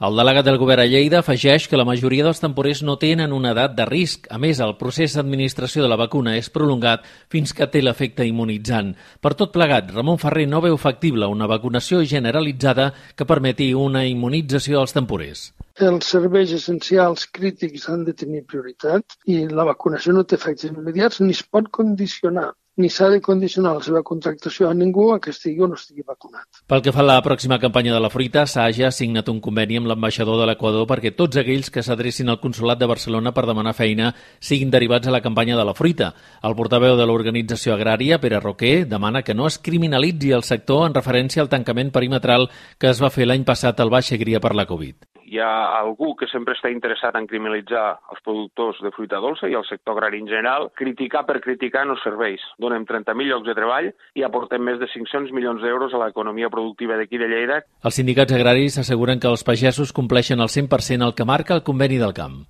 El delegat del govern a Lleida afegeix que la majoria dels temporers no tenen una edat de risc. A més, el procés d'administració de la vacuna és prolongat fins que té l'efecte immunitzant. Per tot plegat, Ramon Ferrer no veu factible una vacunació generalitzada que permeti una immunització als temporers. Els serveis essencials crítics han de tenir prioritat i la vacunació no té efectes immediats ni es pot condicionar, ni s'ha de condicionar la seva contractació a ningú a que estigui o no estigui vacunat. Pel que fa a la pròxima campanya de la fruita, Saja ha signat un conveni amb l'ambaixador de l'Equador perquè tots aquells que s'adrecin al Consolat de Barcelona per demanar feina siguin derivats a la campanya de la fruita. El portaveu de l'organització agrària, Pere Roquer, demana que no es criminalitzi el sector en referència al tancament perimetral que es va fer l'any passat al Baix Segrià per la Covid. Hi ha algú que sempre està interessat en criminalitzar els productors de fruita dolça i el sector agrari en general. Criticar per criticar no serveix. Donem 30.000 llocs de treball i aportem més de 500 milions d'euros a l'economia productiva d'aquí de Lleida. Els sindicats agraris asseguren que els pagesos compleixen al 100% el que marca el conveni del camp.